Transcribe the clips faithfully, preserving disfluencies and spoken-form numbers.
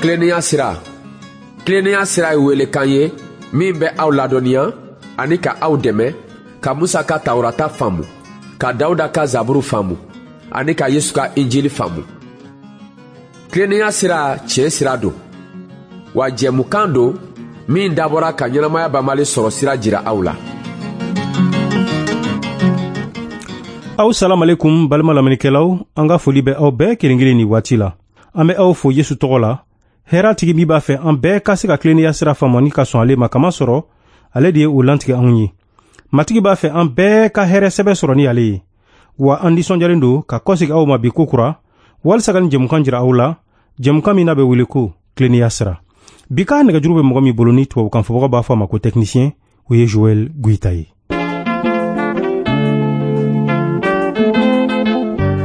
Tilennenya sira. Tilennenya sira ye welekan ye min bɛ aw ladɔnniya ani ka aw dɛmɛ ka Musa ka Tawurata faamu, ka Dawuda ka Zaburu faamu ani ka Yesu ka Injili faamu. Tilennenya sira tiɲɛ sira don, wa jɛmukan don min dabɔra ka ɲɛnamaya banbali sɔrɔ sira jira aw la. Aw salam alaikum balima lamɛnnikɛlaw, an ka foli bɛ aw bɛɛ kelen kelen ni waati la. An bɛ aw fo Yesu tɔgɔ la. Hɛrɛ tigi min b'a fɛ an bɛɛ ka se ka tilennenya sira faamu ani ka sɔn ale ma, kama sɔrɔ ale de ye o lantigɛ anw ye. Matigi b'a fɛ an bɛɛ ka hɛrɛ sɛbɛ sɔrɔ ni ale ye. Wa an nisɔndiyalen don ka kɔsegin aw ma bi ko kura walisa ka nin jɛmukan jira aw la, jɛmukan min n'a bɛ wele ko tilennenya sira. Bi ka nɛgɛjuru bɛ mɔgɔ min bolo ni tubabukan fɔbaga b'a fɔ a ma ko technicien, o ye Joël Goïta ye.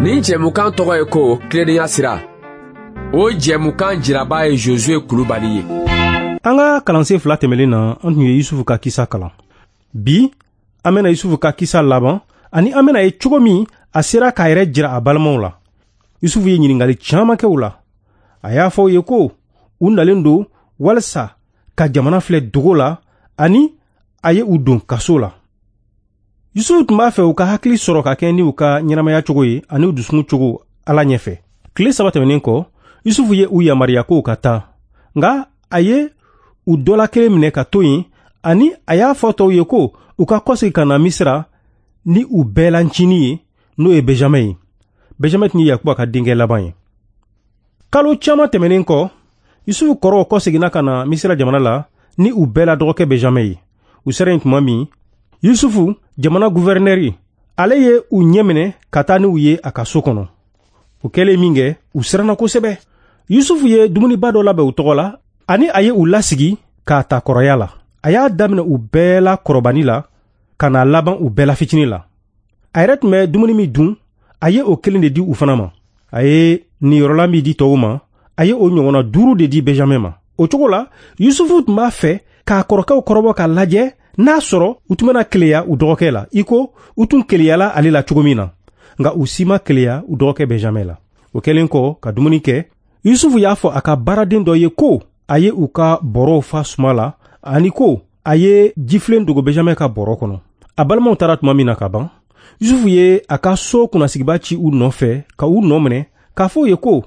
Nin jɛmukan tɔgɔ ye ko tilennenya sira. O jɛmukan jiraba ye Josué Kulubali ye. An ka kalansen fila tɛmɛlen na, an tun ye Yusufu ka kisa kalan. Bi, an bɛna Yusufu ka kisa laban ani an bɛna ye cogo min a sera k'a yɛrɛ jira a balimaw la. Yusufu ye ɲininkali caman kɛ u la. A y'a fɔ u ye ko u nalen don walisa ka jamana filɛ dogo la ani a ye u don kaso la. Yusufu tun b'a fɛ u ka hakili sɔrɔ ka kɛ ni u ka ɲɛnamaya cogo ye ani u dusukun cogo Ala ɲɛfɛ. Tile saba tɛmɛnen kɔ, Yusufu ye u yamaruya k'u ka taa, nka a ye u dɔ la kelen minɛ ka to yen ani a y'a fɔ tɔw ye ko u ka kɔsegin ka na Misira ni u bɛɛ la ncinin ye, n'o ye Benjamin ye. Benjamin tun ye Yakuba ka denkɛ laban ye. Kalo caman tɛmɛnen kɔ, Yusufu kɔrɔw kɔseginna ka na Misira jamana la ni u bɛɛ la dɔgɔkɛ Benjamin ye. U sera yen tuma min, Yusufu jamana guvɛrnɛri, ale ye u ɲɛ minɛ ka taa n'u ye a ka so kɔnɔ. O kɛlen min kɛ, u siranna kosɛbɛ. Yusufu ye dumuniba dɔ labɛn u tɔgɔ la ani a ye u lasigi k'a ta kɔrɔya la. A y'a daminɛ u bɛɛ la kɔrɔbani la ka na laban u bɛɛ la fitinin la. A yɛrɛ tun bɛ dumuni min dun, a ye o kelen de di u fana ma. A ye niyɔrɔla min di tɔw ma, a ye o ɲɔgɔnna duuru de di Benjamin ma. O cogo la, Yusufu tun b'a fɛ k'a kɔrɔkɛw kɔrɔbɔ k'a lajɛ n'a sɔrɔ u tun bɛna keleya u dɔgɔkɛ la, i ko u tun keleyala ale la cogo min na. Nka u si ma keleya u dɔgɔkɛ Benjamin la. O kɛlen kɔ ka dumuni kɛ, Yusufu y'a fɔ a ka baaraden dɔ ye ko a ye u ka bɔrɔw fa suma la ani ko a ye jifilen dogo Benjamin ka bɔrɔ kɔnɔ. A balimaw taara tuma min na ka ban, Yusufu ye a ka so kunnasigiba ci u nɔfɛ ka u nɔ minɛ k'a fɔ u ye ko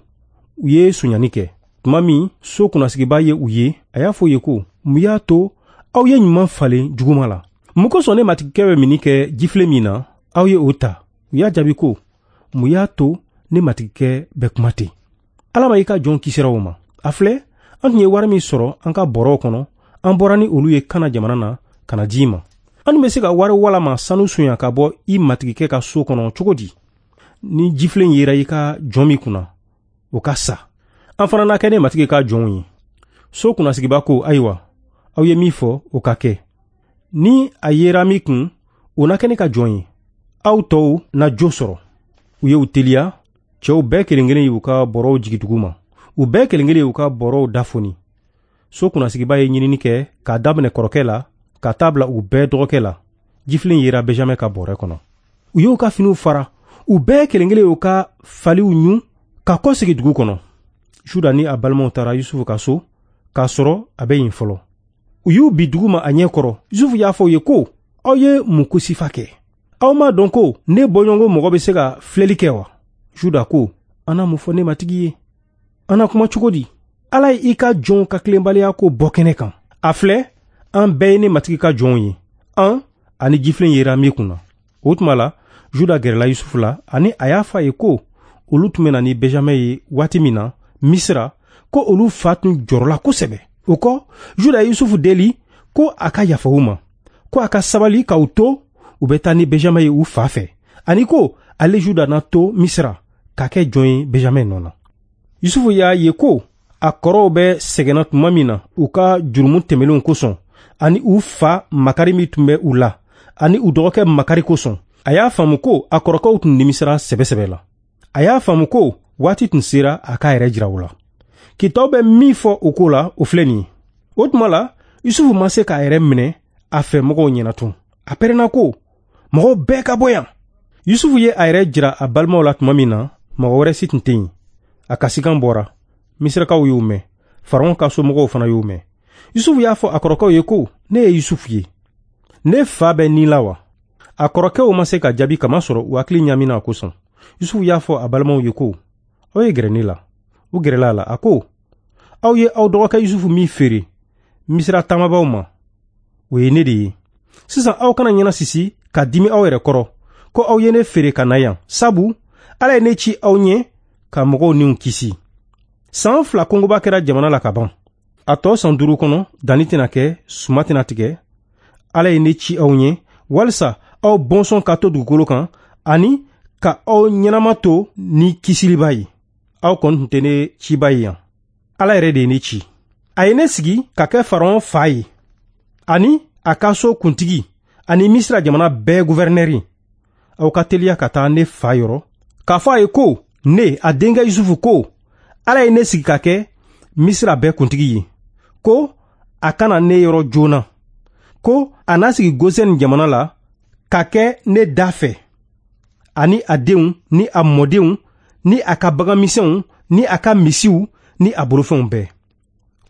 u ye sonyani kɛ. Tuma min so kunnasigiba ye u ye, a y'a fɔ u ye ko mun y'a to aw ye ɲuman falen juguma la? Mun kosɔn ne matigikɛ bɛ minni kɛ jifilen min na, aw ye o ta? U y'a jaabi ko mun y'a to ne matigikɛ bɛ kuma ten? Ala ma i ka jɔn kisira o ma. A filɛ, an tun ye wari min sɔrɔ an ka bɔrɔw kɔnɔ, an bɔra ni olu ye Kana jamana na ka na di i ma. An tun bɛ se ka wari walama sanu sonya ka bɔ i matigikɛ ka so kɔnɔ cogo di? Ni jifilen yera i ka jɔn min kunna, o ka sa. An fana na kɛ ne matigi ka jɔnw ye. So kunnasigiba ko, ayiwa, aw ye min fɔ, o ka kɛ. Ni a yera min kun, o na kɛ ne ka jɔn ye. Aw tɔw na jo sɔrɔ. U ye u teliya, cɛw bɛɛ kelen kelen y'u ka bɔrɔw jigin dugu ma. U bɛɛ kelen kelen y'u ka bɔrɔw dafoni. So kunnasigiba ye ɲinini kɛ k'a daminɛ kɔrɔkɛ la ka taa bila u bɛɛ dɔgɔkɛ la. Jifilen yera Benjamin ka bɔrɛ kɔnɔ. U y'u ka finiw fara, u bɛɛ kelen kelen y'u ka faliw ɲun ka kɔsegin dugu kɔnɔ. Juda ni a balimaw taara Yusufu ka so k'a sɔrɔ a bɛ yen fɔlɔ. U y'u bi dugu ma a ɲɛ kɔrɔ. Yusufu y'a fɔ u ye ko aw ye mun ko sifa kɛ? Aw m'a dɔn ko ne bɔɲɔgɔnko mɔgɔ bɛ se ka filɛli kɛ wa? Juda ko, an na mun fɔ ne matigi ye? An na kuma cogo di? Ala ye i ka jɔnw ka tilenbaliya ko bɔ kɛnɛ kan. A filɛ, an bɛɛ ye ne matigi ka jɔnw ye. An ani jifilen yera min kunna. O tuma la, Juda gɛrɛla Yusufu la ani a y'a fɔ a ye ko olu tun bɛ na ni Benjamin ye waati min na Misira, ko olu fa tun jɔrɔla kosɛbɛ. O kɔ, Juda ye Yusufu deli ko a ka yafa u ma, ko a ka sabali k'u to u bɛ taa ni Benjamin ye u fa fɛ, ani ko ale Juda na to Misira ka kɛ jɔn ye Benjamin nɔ na. Yusufu y'a ye ko a kɔrɔw bɛ sɛgɛnna tuma min na u ka jurumu tɛmɛnenw kosɔn, ani u fa makari min tun bɛ u la, ani u dɔgɔkɛ makari kosɔn. A y'a faamu ko a kɔrɔkɛw tun nimisara sɛbɛsɛbɛ la. A y'a faamu ko waati tun sera a k'a yɛrɛ jira u la. Kitabu bɛ min fɔ o ko la, o filɛ nin ye. O tuma la, Yusufu ma se k'a yɛrɛ minɛ a fɛ mɔgɔw ɲɛna tun. A pɛrɛnna ko, mɔgɔw bɛɛ ka bɔ yan. Yusufu ye a yɛrɛ jira a balimaw la tuma min na, mɔgɔ wɛrɛ si tun tɛ yen. A kasikan bɔra. Misirakaw y'u mɛn. Faraon ka somɔgɔw fana y'o mɛn. Yusufu y'a fɔ a kɔrɔkɛw ye ko, ne ye Yusufu ye. Ne fa bɛ ni la wa? A kɔrɔkɛw ma se ka jaabi kamasɔrɔ u hakili ɲamina a kosɔn. Yusufu y'a fɔ a balimaw ye ko, aw ye gɛrɛ ne la. U gɛrɛla a la, a ko, aw ye aw dɔgɔkɛ Yusufu min feere Misira taamabaw ma, o ye ne de ye. Sisan aw kana ɲɛna sisi ka dimi aw yɛrɛ kɔrɔ, ko aw ye ne feere ka na yan, sabu Ala ye ne ci aw ɲɛ ka mɔgɔw niw kisi. San fila kɔngɔba kɛra jamana la ka ban. A tɔ san duuru kɔnɔ, danni tɛna kɛ, suma tɛna tigɛ. Ala ye ne ci aw ɲɛ walisa aw bɔnsɔn ka to dugukolo kan ani ka aw ɲɛnama to ni kisiliba ye. Aw kɔni tun tɛ ne ciba ye yan. Ala yɛrɛ de ye ne ci. A ye ne sigi ka kɛ Faraon fa ye, ani a ka so kuntigi, ani Misira jamana bɛɛ guvɛrinɛri. Aw ka teliya ka taa ne fa yɔrɔ, k'a fɔ a ye ko ne, a denkɛ Yusufu ko, Ala ye ne sigi ka kɛ Misira bɛɛ kuntigi ye, ko a kana ne yɔrɔ joona, ko a n'a sigi Gosɛn jamana la ka kɛ ne da fɛ, ani a denw ni a mɔdenw ni a ka baganmisɛnw ni a ka misiw ni a bolofɛnw bɛɛ.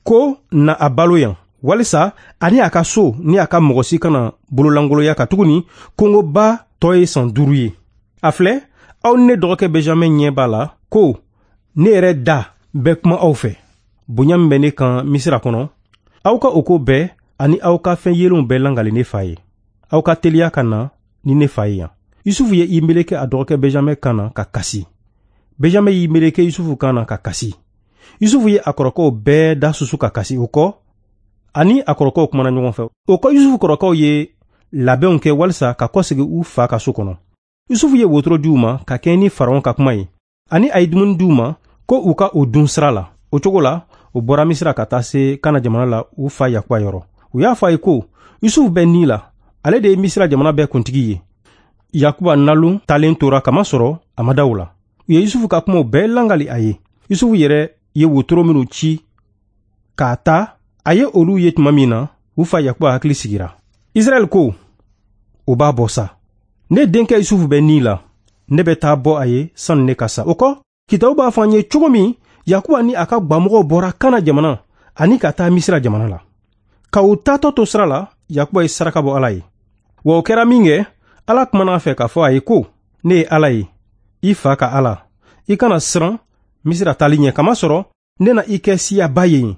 Ko na a balo yan, walisa ani a ka so ni a ka mɔgɔ si kana bololankolonya katuguni kɔngɔba tɔ ye san duuru ye. A filɛ, aw ni ne dɔgɔkɛ Benjamin ɲɛ b'a la ko ne yɛrɛ da bɛ kuma aw fɛ. Bonya min bɛ ne kan Misira kɔnɔ, aw ka o ko bɛɛ ani aw ka fɛn yelenw bɛɛ langali ne fa ye. Aw ka teliya ka na ni ne fa ye yan. Yusufu ye i meleke a dɔgɔkɛ Benjamin kan na ka kasi. Benjamin y'i meleke Yusufu kan na ka kasi. Yusufu ye a kɔrɔkɛw bɛɛ da susu ka kasi. O kɔ, ani a kɔrɔkɛw kumana ɲɔgɔn fɛ. O kɔ, Yusufu kɔrɔkɛw ye labɛnw kɛ walisa ka kɔsegin u fa ka so kɔnɔ. Yusufu ye wotoro di u ma ka kɛɲɛ ni Faraon ka kuma ye, ani a ye dumuni di u ma ko u ka o dun sira la. O cogo la, u bɔra Misira ka taa se Kana jamana la u fa Yakuba yɔrɔ. U y'a fɔ a ye ko, Yusufu bɛ ni la, ale de ye Misira jamana bɛɛ kuntigi ye. Yakuba nalon talen tora kamasɔrɔ a ma da u la. U ye Yusufu ka kumaw bɛɛ langali a ye. Yusufu yɛrɛ ye wotoro minnu ci k'a ta, a ye olu ye tuma min na, u fa Yakuba hakili sigira. Israɛl ko, o b'a bɔ sa. Ne denkɛ Yusufu bɛ ni la, ne bɛ taa bɔ a ye sani ne ka sa. O kɔ, kitabu b'a fɔ an ye cogo min Yakuba ni a ka gwamɔgɔw bɔra Kana jamana ani ka taa Misira jamana la. Ka u taatɔ to sira la, Yakuba ye saraka bɔ Ala ye. Wa o kɛra min kɛ, Ala kumana a fɛ k'a fɔ a ye ko, ne ye Ala ye, i fa ka Ala. I kana siran Misira taali ɲɛ, kamasɔrɔ ne na i kɛ siyaba ye yen.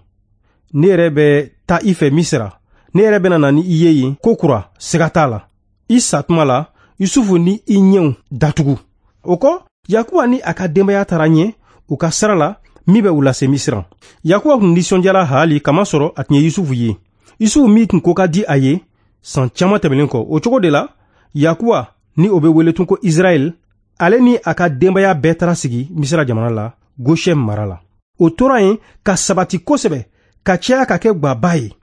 Ne yɛrɛ bɛ taa i fɛ Misira. Ne yɛrɛ bɛna na ni i ye yen ko kura, siga t'a la. I sa tuma la, Yusufu ni i ɲɛw datugu. O kɔ, Yakuba ni a ka denbaya taara ɲɛ u ka sira la min bɛ u lase Misira. Yakuba tun nisɔndiyara haali kamasɔrɔ a tun ye Yusufu ye. Yusufu min tun ko ka di a ye san caman tɛmɛnen kɔ. O cogo de la, Yakuba ni o bɛ wele tun ko Israɛl, ale ni a ka denbaya bɛɛ taara sigi Misira jamana la, Gosɛn mara la. O tora yen ka sabati kosɛbɛ, ka caya ka kɛ gwaba ye.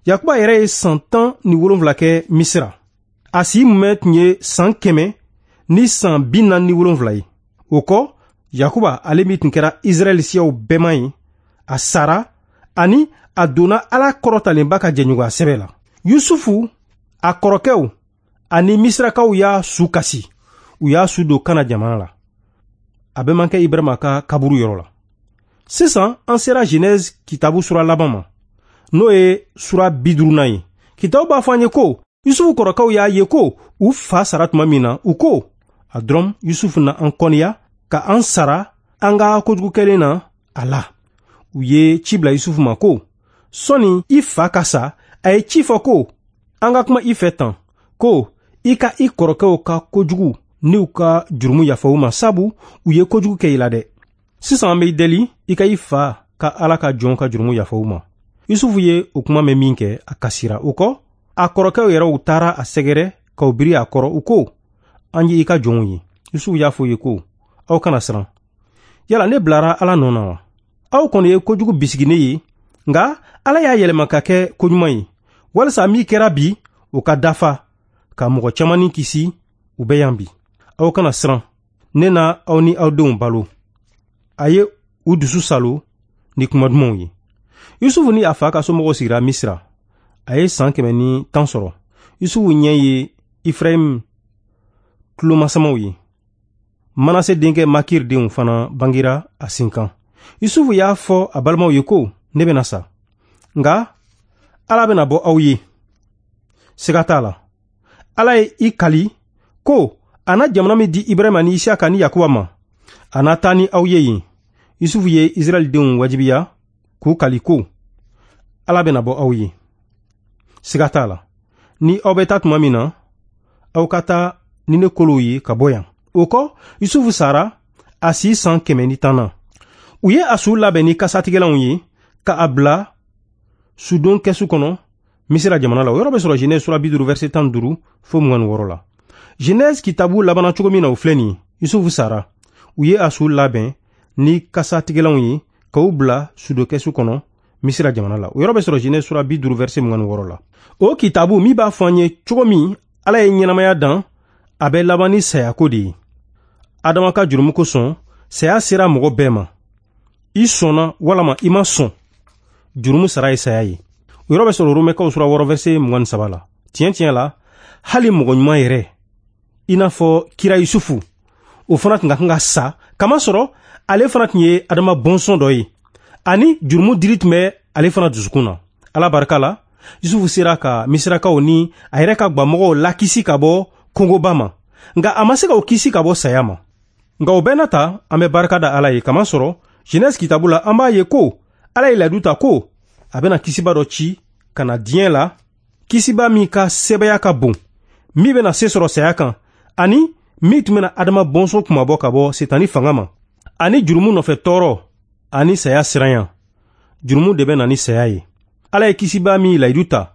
Yakuba yɛrɛ ye san tan ni wolonwula kɛ Misira. A si mumɛ tun ye san kɛmɛ ni san bi naani ni wolonwula ye. O kɔ, Yakuba ale min tun kɛra Israɛl siyaw bɛɛma ye, a sara ani a donna Ala kɔrɔtalenba ka jɛɲɔgɔnya sɛbɛ la. Yusufu, a kɔrɔkɛw ani Misirakaw y'a su kasi. U y'a su don Kana jamana la. A bɛ man kɛ Ibrahima ka kaburu yɔrɔ la. Sisan an sera Genèse kitabu sura laban ma, n'o ye sura bi duurunan ye. Kitabu b'a fɔ an ye ko Yusufu kɔrɔkɛw y'a ye ko u fa sara tuma min na, u ko, a dɔrɔn Yusufu na an kɔniya ka an sara an ka kojugu kɛlen na a la. U ye ci bila Yusufu ma ko, sɔnni i fa ka sa, a ye ci fɔ ko, an ka kuma i fɛ tan, ko i ka i kɔrɔkɛw ka kojugu ni u ka jurumu yafa u ma, sabu u ye kojugu kɛ i la dɛ. Sisan an b'i deli i ka i fa ka Ala ka jɔn ka jurumu yafa u ma. Yusufu ye o kuma mɛn min kɛ, a kasira. O kɔ, a kɔrɔkɛw yɛrɛw taara a sɛgɛrɛ k'u biri a kɔrɔ. U ko, an ye i ka jɔnw ye. Yusufu y'a fɔ u ye ko, aw kana siran. Yala ne bilara Ala nɔ na wa? Aw kɔni ye kojugu bisigi ne ye, nka Ala y'a yɛlɛma ka kɛ koɲuman ye, walisa min kɛra bi, o ka dafa, ka mɔgɔ caman ni kisi, u bɛ yan bi. Aw kana siran, ne na aw ni aw denw balo. A ye u dusu salo ni kuma dumanw ye. Yusufu ni a fa ka somɔgɔw sigira Misira. A ye san kɛmɛ ni tan sɔrɔ. Yusufu ɲɛ ye Efrayim tulomasamaw ye. Manase denkɛ Makir denw fana bangira a sin kan. Yusufu y'a fɔ a balimaw ye ko, Ne bɛna sa, nka Ala bɛna bɔ aw ye. Siga t'a la, Ala ye i kali ko a na jamana min di Ibrahima ni Isaka ni Yakuba ma, a na taa ni aw ye yen. Yusufu ye Israɛlidenw wajibiya k'u kali ko Ala bɛna bɔ aw ye. Siga t'a la, ni aw bɛ taa tuma min na, aw ka taa ni ne kolow ye ka bɔ yan. O kɔ, Yusufu sara a si san kɛmɛ ni tan na. U ye a su labɛn ni kasatigɛlanw ye ka a bila sudon kɛsu kɔnɔ Misira jamana la. O yɔrɔ bɛ sɔrɔ Genèse sura bi duuru verset tan ni duuru fo mugan ni wɔɔrɔ la. Genèse kitabu labanna cogo min na, o filɛ nin ye. Yusufu sara, u ye a su labɛn ni kasatigɛlanw ye k'o bila sudon kɛsu kɔnɔ Misira jamana la. O yɔrɔ bɛ sɔrɔ Genèse sura bi duuru verset mugan ni wɔɔrɔ la. O kitabu min b'a fɔ an ye cogo min Ala ye ɲɛnamaya dan, a bɛ laban ni sayako de ye. Adama ka jurumu kosɔn, saya sera mɔgɔ bɛɛ ma. I sɔnna walama i ma sɔn, jurumu sara ye saya ye. O yɔrɔ bɛ sɔrɔ Romɛkaw sura wɔɔrɔ verset mugan ni saba la. Tiɲɛ tiɲɛ la, hali mɔgɔ ɲuman yɛrɛ, i n'a fɔ kira Yusufu, o fana tun ka kan ka sa, kamasɔrɔ ale fana tun ye Adama bɔnsɔn dɔ ye, ani jurumu dili tun bɛ ale fana dusukun na. Ala barika la, Yusufu sera ka Misirakaw ni a yɛrɛ ka gwamɔgɔw lakisi ka bɔ kongoba ma, nka a ma se ka o kisi ka bɔ saya ma. Nka o bɛɛ n'a ta, an bɛ barika da Ala ye, kamasɔrɔ Genèse kitabu la, an b'a ye ko Ala ye layidu ta ko a bɛna kisiba dɔ ci ka na diɲɛ la, kisiba min ka sɛbɛya ka bon, min bɛna se sɔrɔ saya kan, ani min tun bɛna Adama bɔnsɔn kunmabɔ ka bɔ Setani fanga ma, ani jurumu nɔfɛ tɔɔrɔ ani saya siranya. Jurumu de bɛ na ni saya ye. Ala ye kisiba min layidu ta,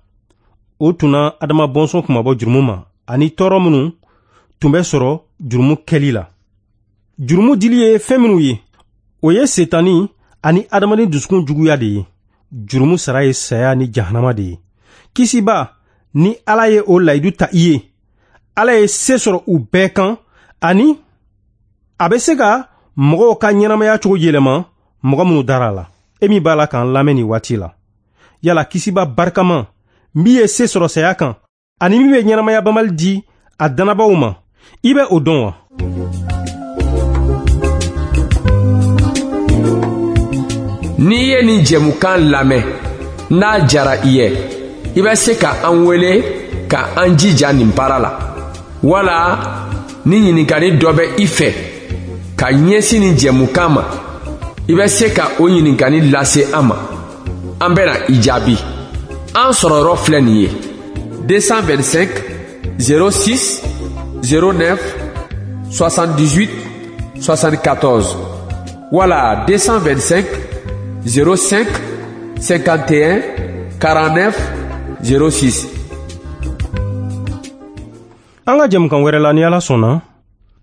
o tun na Adama bɔnsɔn kunmabɔ jurumu ma, ani tɔɔrɔ minnu tun bɛ sɔrɔ jurumu kɛli la. Jurumu dili ye fɛn minnu ye, o ye Setani ani adamaden dusukun juguya de ye. Jurumu sara ye saya ni jahanama de ye. Kisiba, ni Ala ye o layidu ta i ye, Ala ye se sɔrɔ u bɛɛ kan, ani a bɛ se ka mɔgɔw ka ɲɛnamaya cogo yɛlɛma mɔgɔ minnu dara a la. E min b'a la k'an lamɛn nin waati la, yala kisiba barikama min ye se sɔrɔ saya kan, ani min bɛ ɲɛnamaya banbali di a dannabaaw ma, i bɛ o dɔn wa? N'i ye nin jɛmukan lamɛn, n'a jara i ye, i bɛ se ka an wele ka an jija nin baara la, wala ni ɲininkali dɔ bɛ i fɛ ka ɲɛsin nin jɛmukan ma, i bɛ se ka o ɲininkali lase an ma. An bɛna i jaabi. An sɔrɔyɔrɔ filɛ nin ye: deux cent vingt-cinq zéro six zéro neuf soixante-dix-huit soixante-quatorze wala deux cent vingt-cinq zéro cinq cinquante et un quarante-neuf zéro six. An ka jɛmukan wɛrɛ la, ni Ala sɔnna,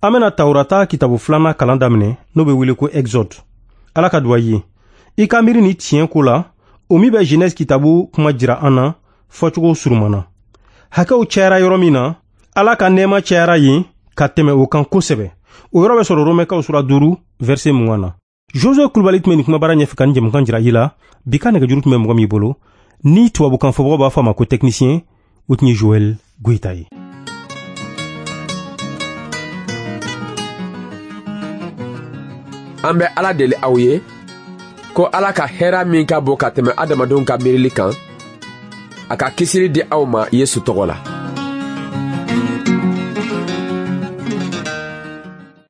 an bɛna Tawurata kitabu filanan kalan daminɛ, n'o bɛ wele ko Exode. Ala ka duwa i ye. I ka miiri ni tiɲɛ ko la, o min bɛ Genèse kitabu kuma jira an na fɔcogo surunman na. Hakɛw cayara yɔrɔ min na, Ala ka nɛɛma cayara yen ka tɛmɛ o kan kosɛbɛ. O yɔrɔ bɛ sɔrɔ Romɛkaw sura duuru verset mugan na. Josue Kulubali tun bɛ nin kumabara ɲɛfɛ ka nin jɛmukan jira i la. Bi ka nɛgɛjuru tun bɛ mɔgɔ min bolo, ni tubabukan fɔbagaw b'a fɔ a ma ko technicien, o tun ye Joël Goyita ye. An bɛ Ala deli aw ye ko Ala ka hɛrɛ min ka bon ka tɛmɛ adamadenw ka miirili kan, a ka kisili di aw ma Yesu tɔgɔ la.